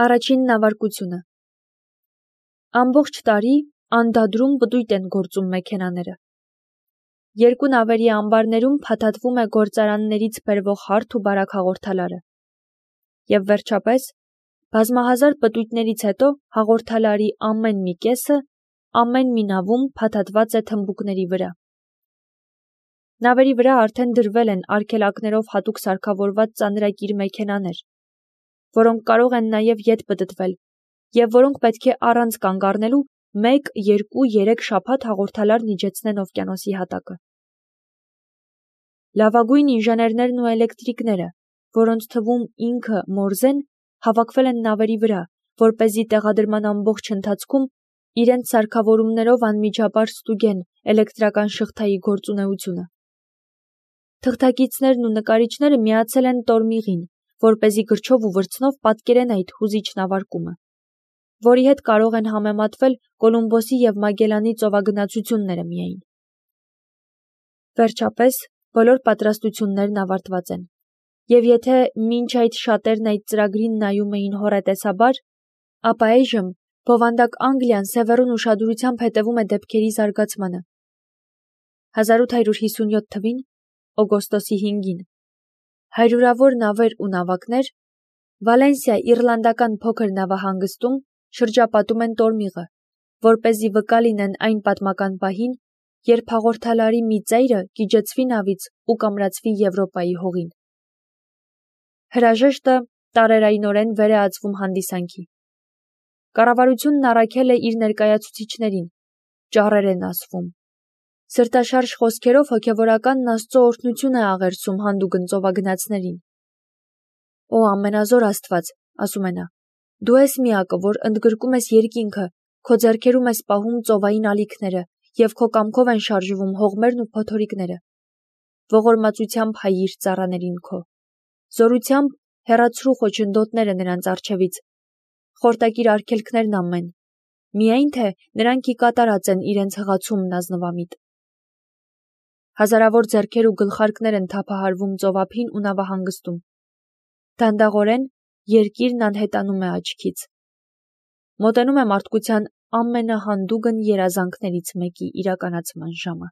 Առաջին նավարկությունը։ Ամբողջ տարի անդադրում պտույտ են գործում մեքենաները։ Երկու նավերի ամբարներում փաթաթվում է գործարաններից բերվող հարթ ու բարակ հաղորդալարը։ Եվ վերջապես, բազմահազար պտույտներից հետո հաղորդալարի ամեն մի կեսը ամեն մի նավում փաթաթված է թմբուկների վրա։ Նավերի վրա արդեն դրվել են արգելակներով հատուկ սարքավորված ծանրակիր մեքենաներ, որոնք կարող են նաև ետ պտտվել, և որոնք պետք է առանց կանգ առնելու 1, 2, 3 շաբաթ հաղորդալարն իջեցնեն օվկիանոսի հատակը։ Լավագույն ինժեներներն ու էլեկտրիկները, որոնց թվում ինքը Մորզեն, հավաքվել են նավերի վրա, որպեսզի տեղադրման ամբողջ ընթացքում իրենց սարքավորումներով անմիջաբար ստուգեն էլեկտրական շղթայի գործունեությունը։ Թղթակիցներն ու նկարիչները միացել են Տորմիղին, որպեսզի գրչով ու վրձնով պատկերեն այդ հուզիչ նավարկումը, որի հետ կարող են համեմատվել Կոլումբոսի և Մագելանի ծովագնացությունները միայն։ Վերջապես, բոլոր պատրաստություններն ավարտված են, և եթե մինչ այդ շատերն այդ ծրագրին նայում էին հոռետեսաբար, ապա այժմ բովանդակ Անգլիան սևեռուն ուշադրությամբ հետևում է դեպքերի զարգացմանը։ 1857 թվին, օգոստոսի 5-ին, հարյուրավոր նավեր ու նավակներ Վալենսիա իռլանդական փոքր նավահանգստում շրջապատում են Տորմիղը, որպեսզի վկա լինեն այն պատմական պահին, երբ հաղորդալարի մի ծայրը գիջեցվի նավից ու կամրացվի Եվրոպայի հողին։ Հրաժեշտը տարերայնորեն վեր է ածվում հանդիսանքի։ Կառավարությունն առաքել է իր ներկայացուցիչներին, ճառեր են ասվում։ Սրտաշարժ խոսքերով հոգևորականն Աստծո օրհնություն է աղերսում հանդուգն ծովագնացներին։ Օ ամենազոր Աստված, ասում է նա, դու ես միակը, որ ընդգրկում ես երկինքը, քո ձեռքերում ես պահում ծովային ալիքները և քո կամքով են շարժվում հողմերն ու փոթորիկները։ Ողորմածությամբ հայիր ծառաներին քո։ Զորությամբ հեռացրու խոչընդոտները նրանց առջևից, խորտակիր արգելքներն ամեն, միայն թե նրանք ի կատարած են իրենց հղացումն ազնվամիտ։ Հազարավոր ձեռքեր ու գլխարկներ են թափահարվում ծովափին ու նավահանգստում։ Դանդաղորեն երկիրն անհետանում է աչքից։ Մոտենում է մարդկության ամենահանդուգն երազանքներից մեկի իրականացման ժամը։